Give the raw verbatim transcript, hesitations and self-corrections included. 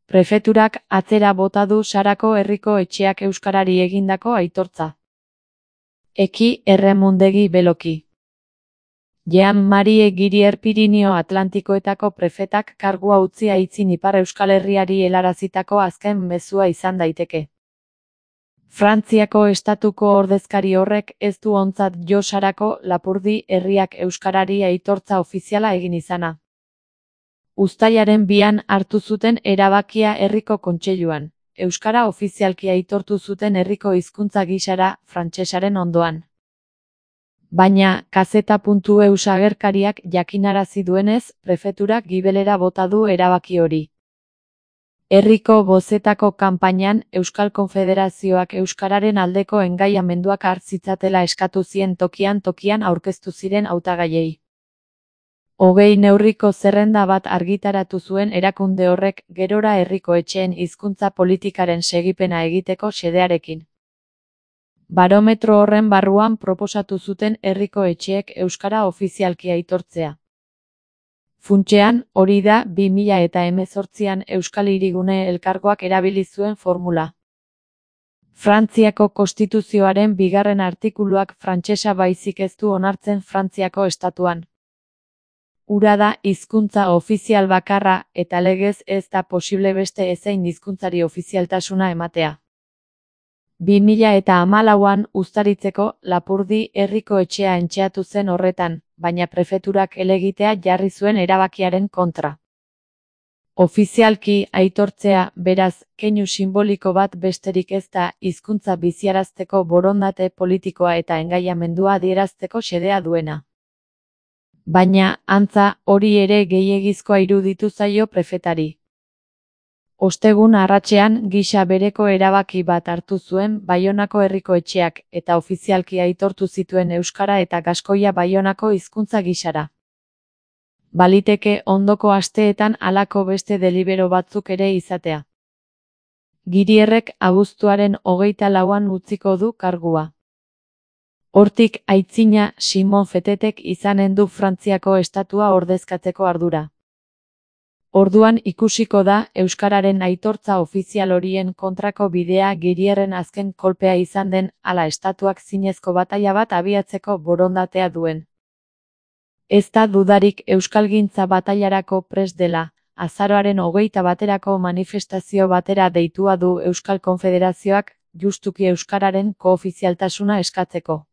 Prefeturak atzera bota du Sarako herriko etxeak euskarari egindako aitortza. Eki Erremundegi Beloki. Jean-Marie Girier Pirinio Atlantikoetako prefetak kargua utzi aitzin Ipar Euskal Herriari helarazitako azken mezua izan daiteke. Frantziako estatuko ordezkari horrek ez du ontzat jo Sarako Lapurdi herriak euskarari aitortza ofiziala egin izana. Uztailaren bian hartu zuten erabakia herriko kontseiluan, euskara ofizialki aitortu zuten herriko hizkuntza gisara frantsesaren ondoan. Baina, kazeta puntu eus agerkariak jakinarazi duenez, prefeturak gibelera bota du erabaki hori. Herriko bozetako kanpainan Euskal Konfederazioak euskararen aldeko engaiamenduak hartzitzatela eskatu zien tokian tokian aurkeztu ziren hautagaiei. Hogei neurriko zerrenda bat argitaratu zuen erakunde horrek gerora herriko etxeen hizkuntza politikaren segipena egiteko xedearekin. Barometro horren barruan proposatu zuten herriko etxeek euskara ofizialki aitortzea. Funtsean, hori da bi mila eta hemezortzian Euskal Hirigune Elkargoak erabili zuen formula. Frantziako konstituzioaren bigarren artikuluak frantsesa baizik ez du onartzen Frantziako estatuan. Hura da hizkuntza ofizial bakarra eta legez ez da posible beste ezein hizkuntzari ofizialtasuna ematea. bi mila eta hamalauan uztaritzeko Lapurdi herriko etxea entxeatu zen horretan, baina prefeturak helegitea jarri zuen erabakiaren kontra. Ofizialki aitortzea, beraz, keinu sinboliko bat besterik ez da hizkuntza biziarazteko borondate politikoa eta engaiamendua adierazteko xedea duena. Baina, antza, hori ere gehiegizkoa iruditu zaio prefetari. Ostegun arratsean gisa bereko erabaki bat hartu zuen Baionako herriko etxeak eta ofizialki aitortu zituen euskara eta gaskoia Baionako hizkuntza gisara. Baliteke ondoko asteetan halako beste delibero batzuk ere izatea. Girierrek abuztuaren hogeita lauan utziko du kargua. Hortik aitzina Simon Fetetek izanen du Frantziako estatua ordezkatzeko ardura. Orduan ikusiko da euskararen aitortza ofizial horien kontrako bidea Girierren azken kolpea izan den ala estatuak zinezko bataila bat abiatzeko borondatea duen. Ez da dudarik euskalgintza batailarako prest dela, azaroaren hogeita baterako manifestazio batera deitua du Euskal Konfederazioak justuki euskararen koofizialtasuna eskatzeko.